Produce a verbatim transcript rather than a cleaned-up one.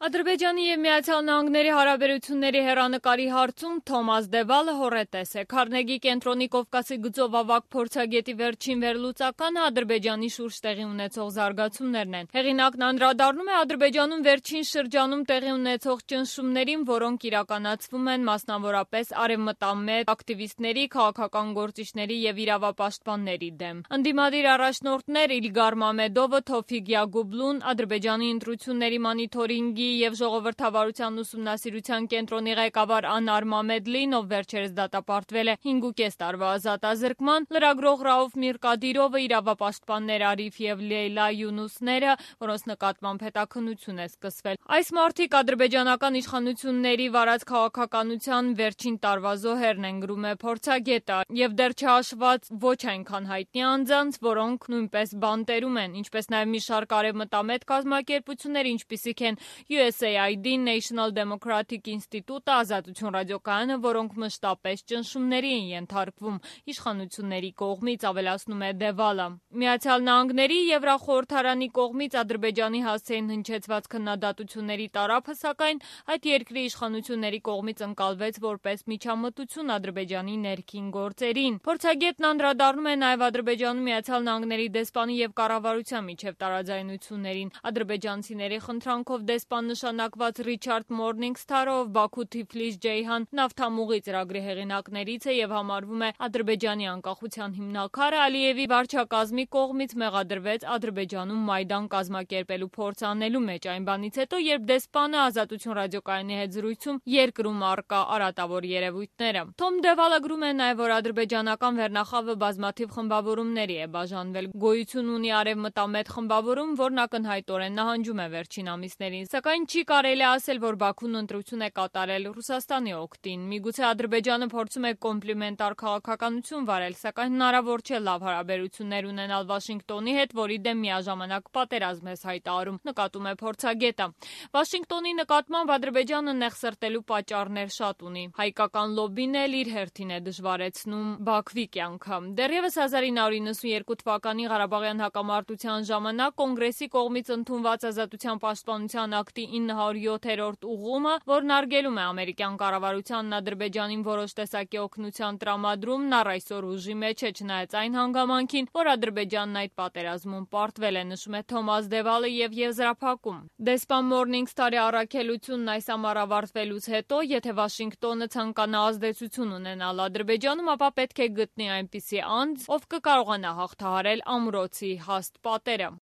Ադրբեջանի և Միացյալ Նահանգների հարաբերությունների հեռանկարի հարցում Թոմաս Դևալը հոռետես է։ Քարնեգի կենտրոնի Կովկասի գծով ավագ փորձագետի վերջին վերլուծականը Ադրբեջանի շուրջ տեղի ունեցող զարգացումներն են։ Հեղինակն անդրադառնում է Ադրբեջանում վերջին շրջանում տեղի ունեցող ճնշումներին, որոնք իրականացվում են մասնավորապես արևմտամետ ակտիվիստների, քաղաքական գործիչների և իրավապաշտպանների դեմ։ Ընդդիմադիր առաջնորդներ Իլգար Մամեդովը, Թոֆիկ Յագուբլուն, Ադրբեջանի ընտրությունների monitoring-ի և ժողովրդավարության ուսումնասիրության կենտրոնի ղեկավար Անար Մամեդլին, ով վերջերս դատապարտվել է հինգուկես տարվա ազատազրկման, լրագրող Ռաուֆ Միրկադիրովը, իրավապաշտպաններ Արիֆ և Լեյլա Յունուսները, որոնց նկատմամբ հետաքննություն է սկսվել։ Այս մարդիկ ադրբեջանական իշխանությունների վարած քաղաքականության վերջին տարվա զոհերն են, գրում է փորձագետը, և դեռ չհաշված ոչ այնքան հայտնի անձանց, որոնք նույնպես բանտերում են, ինչպես նաև մի շարք արևմտամետ կազմակերպություններ, ինչպիսիք են յու էս էյ այ դի-ն, National Democratic Institute-ը, Ազատություն ռադիոկայանը, որոնք մշտապես ճնշումների են ենթարկվում իշխանությունների կողմից, ավելացնում է Դևալը։ Միացյալ Նահանգների Եվրախորհրդարանի կողմից Ադրբեջանի հասցեին հնչեցված քննադատությունների տարափը, սակայն, այդ երկրի իշխանությունների կողմից ընկալվեց որպես միջամտություն Ադրբեջանի ներքին գործերին։ Փորձագետն անդրադառնում է նաև Ադրբեջանում Միացյալ Նահանգների դեսպանի և կառավարության միջև տարաձայնություններին։ Ադրբեջանցիների խնդրանքով դեսպան նշանակված Ռիչարդ Մորնինգսթարը, ով Բաքու-Թիֆլիս-Ջեյհան նավթամուղի ծրագրի հեղինակներից է և համարվում է Ադրբեջանի անկախության հիմնաքարը, Ալիևի վարչակազմի կողմից մեղադրվեց Ադրբեջանում Մայդան կազմակերպելու փորձ անելու մեջ, այն բանից հետո, երբ դեսպանը Ազատություն ռադիոկայանի հետ զրույցում երկրում առկա արատավոր երևույթները։ Թոմ Դևալը գրում է նաև, որ ադրբեջանական վերնախավը բազմաթիվ խմբավորումների է բաժանվել։ Գոյություն ունի արևմտամետ խմբավորում, որն ակնհայտորեն նահանջում է վերջին ամիսներին, սակայն չի կարելի ասել, որ Բաքուն ընտրություն է կատարել Ռուսաստանի օգտին։ Միգուցե Ադրբեջանը փորձում է կոմպլիմենտար քաղաքականություն վարել, սակայն հնարավոր չէ լավ հարաբերություններ ունենալ Վաշինգտոնի հետ, որի դեմ միաժամանակ պատերազմ է հայտարարում, նկատում է փորձագետը։ Վաշինգտոնի նկատմամբ Ադրբեջանը նեղսրտելու պատճառներ շատ ունի։ Հայկական լոբբին էլ իր հերթին է դժվարեցնում Բաքվի կյանքը։ Դեռևս հազար ինը հարյուր նվաթ թվականի Ղարաբաղյան հակամարտության ժամանակ Կոնգրեսի կողմից ընդունված Ազատության պաշտպանության ակտի ինը հարյուր յոթերորդ ուղղումը, որն արգելում է ամերիկյան կառավարությանն Ադրբեջանին որոշ տեսակի օգնության տրամադրումն, առ այսօր ուժի մեջ է, չնայած այն հանգամանքին, որ Ադրբեջանն այդ պատերազմում պարտվել է, նշում է Թոմաս Դևալը և եզրափակում։ Դեսպան Մորնինգսթարի առաքելությունն այս ամառ ավարտվելուց հետո, եթե Վաշինգտոնը ցանկանա ազդեցություն ունենալ Ադրբեջանում, ապա պետք է գտնի այնպիսի անձ, ով կկարողանա հաղթահարել ամրոցի հաստ պատերը։